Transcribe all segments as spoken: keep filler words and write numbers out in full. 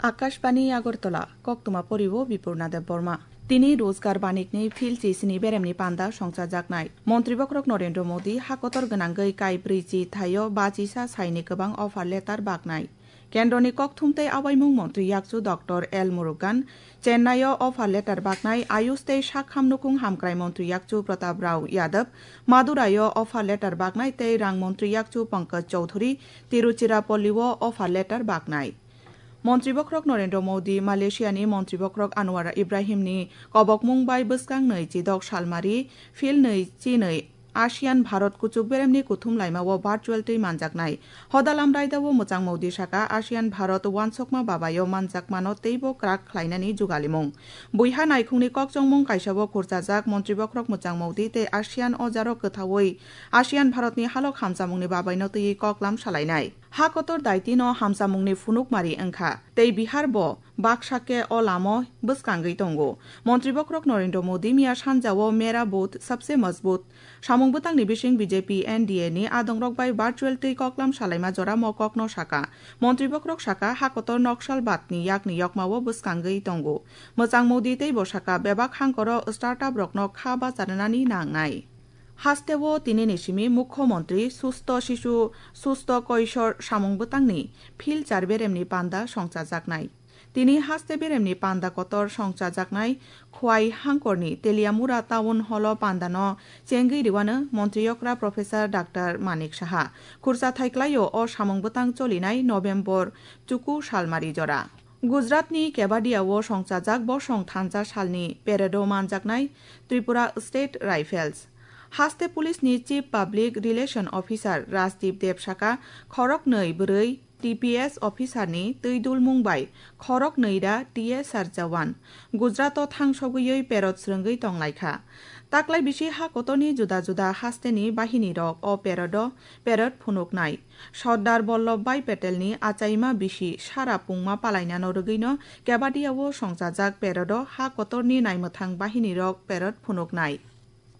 Akashbani Agartala, koktwma poriwo Bipurna Debbarma. Tini Rozgar Banikni phil chisini beremni panda songchajaknai. Montri bokhorok Narendra Modi hakotor gwnangwi kaibrwi chi thaio bachisa saini kwbang offer letter baknai. Kendroni kokthum tei awaimung montri yakchu Doctor L Murugan Chennai-o offer letter baknai, Ayush tei Sakham Nukhung Hamkrai montri yakchu Pratap Rao Yadav Madurai-o offer letter baknai tei rang montri yakchu Pankaj Chowdhury Tiruchirappalli-o offer letter baknai. Montri bokhorok Narendra Modi Malaysia-ni Montri bokhorok Anwar Ibrahim-ni kobokmung bai bwskang nwi chidok salmari phil nwi chinwi ASEAN Bharat kuchuk beremni kuthum laimao virtual twi manjaknai. Hodalam raidao Mwchang Modi saka ASEAN Bharat uansukma babaio manjakmano teibo kwrak khlainani jugalimung. Buiha naikhungni kokchongmung kaisao khurchajak Montri bokhorok Mwchang Modi tei ASEAN o jaro kwthaui ASEAN Bharatni halok hamchamungni babaino twiwi koklam salainai. Ha kotor daitino hamchamungni phunukmari wngkha tei Bihar bo baksa khe o lamo bwskangwi tongo. Montri bokhorok Narendra Modi miya sanjao Mera Booth Sabse Mazboot samung bwtangni bising B J P N D A ni adongrok bai virtual twi koklam salaima jora mo kokno saka. Montri bokhorok saka, ha kotor Naxalbad ni yakni yokmao bwskangwi tongo. Mwchang Modi tei bo saka bebak hangkoro startup rokno kha bacharnani nangnai. Hasteo tinini simi Mukhyamantri Susto Shishu Susto Koishor samung bwtangni phil char beremni panda songchajaknai. Tini haste beremni panda kotor songchajaknai Khwai hangkorni Teliamura Town Hall-o pandano chengwi riwano montri okra Professor Doctor Manik Saha. Khurcha thai klaio o samung bwtang cholinai November chuku salmari jora. Gujaratni Kevadia-o songchajak bosong thansa salni parade-o manjaknai Tripura State Rifles. Haste Police-ni Chief Public Relation Officer Rajdeep Deb saka, khoroknwi bwrwi T P S officer-ni twi dulmung bai khoroknwi ra T S R jawan Gujarat-o thangsogwiwi parade swrwngwi tonglaikha. Taklai bisi ha kotorni juda juda hasteni bahinirok o parade-o parade phunuknai. Sardar Vallabhbhai Patelni achaima bisi sara pungma palainano rwgwino Kevadia-o songchajak parade-o ha kotorni naimwthang bahinirok parade phunuknai.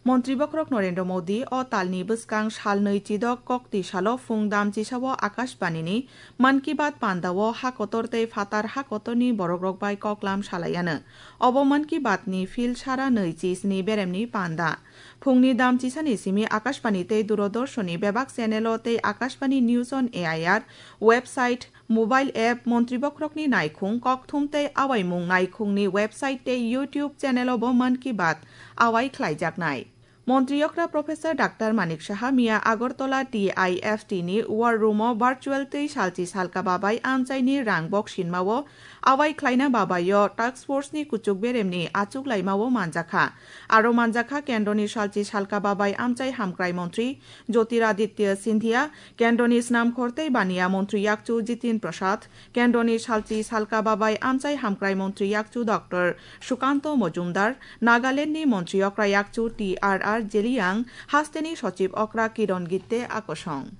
Montri bokhorok Narendra Modi o talni bwskang salnwi chidok kokti salo phung damchisao Akashbanini Mann Ki Baat pandao ha kotor tei phatar ha kotorni borokrok bai koklam salaiano. Obo Mann Ki Baat ni phil sara nwi chisni beremni panda. Phungni damchisani simi Akashbani tei Doordarshan-ni bebak channel-o tei Akashbani News on A I R website, mobile app, montri bokhorokni naikhung, kokthum tei awaimung naikhungni website tei YouTube channel-o bo Mann Ki Baat awai khlaijaknai. Montri okra Professor Doctor Manik Saha miya Agartala T I F T ni War Room-o virtual twi salchi salka babai amchaini rang boksinmao awai khlaina babaio task force-ni kuchuk beremni achuklaimao manjakha. Aro manjakha Kendroni salchi salka babai amchai hamkrai montri Jyotiraditya Scindia, Kendroni Snamkhor tei Baniya montri yakchu Jitin Prasad, Kendroni salchi salka babai amchai hamkrai montri yakchu Doctor Sukanto Mojumdar, Nagalandni montri okra yakchu T R R Zeliang, hasteni sochib okra Kiron Gitte akosong.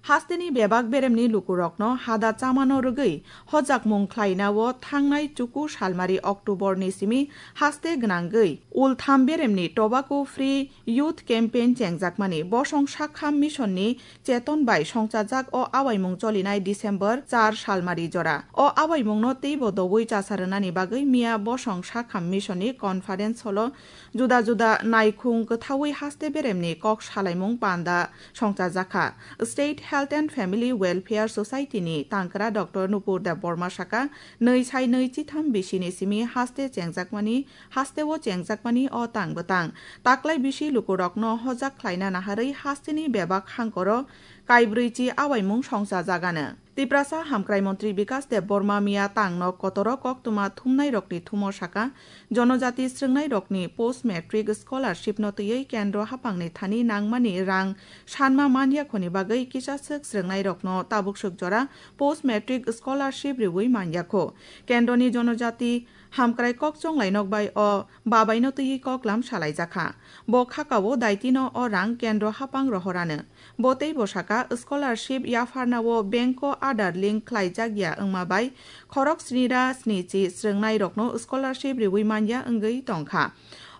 Hasteni bebak beremni lukurokno hada chamano rwgwi hojakmung khlainao thangnai chuku salmari October ni simi haste gwnangwi ultham beremni Tobacco Free Youth Campaign chengjakmani bosong sakham mission ni cheton bai songchajak o awaimung cholinai December char salmari jora. O awaimungno teibo doui chasa rwnani bagwi miya bosong sakham mission ni conference hall-o juda juda naikhung kwthaui haste beremni kok salaimung panda songchajakha. State Health and Family Welfare Society ni tangkra Doctor Nupur Debbarma saka, nwi sai nwi chitham bisini simi haste chengjakmani, hasteo chengjakmani o tang bwtang. Taklai bisi lukurokno hojak khlaina naharwi hasteni bebak hangkoro kaibrwi chi awaimung songchajagano. Tiprasa Hamkrai Montri Bikas Debbarma miya tangno kotoro koktwma thumnairokni thumo saka, Jonojati srwngnairokni post matric scholarship no twiwi kendro haphangni thani nangmani rang sanma manyakhoni bagwi kisaswk srwngnairokno tabukswk jora post matric scholarship riwi manyakho. Kendroni Jonojati Hamkrai Kokchong Lainok bai o babaino twiwi koklam salaijakha. Bo khakao daitino o rang kendro haphang rohorano. Bo teibo saka, scholarship yapharnao bank-o Aadhaar link khlaijak ya wngma bai khorok sni ra sni chi srwngnairokno scholarship riwi manya wngwi tongkha.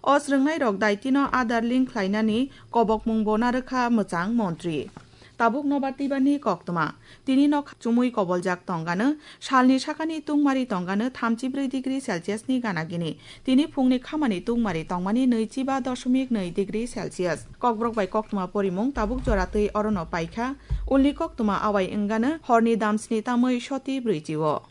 O srwngnairok daitino Aadhaar link khlainani kobokmungbo narwkha mwchang montri. Tabuk nobar twibani koktwma. Tini nok chumui koboljak tongano, salni sakani tungmari tongano thamchi brwi degree Celsius ni gana gini. Tini phungni khamani tungmari tongmani nwichi ba doshomik nwi degree Celsius. Kokborok bai koktwma porimung tabuk jora twi orono paikha. Ulni koktwma awai wngano horni damsni tamwi soti brwichi o.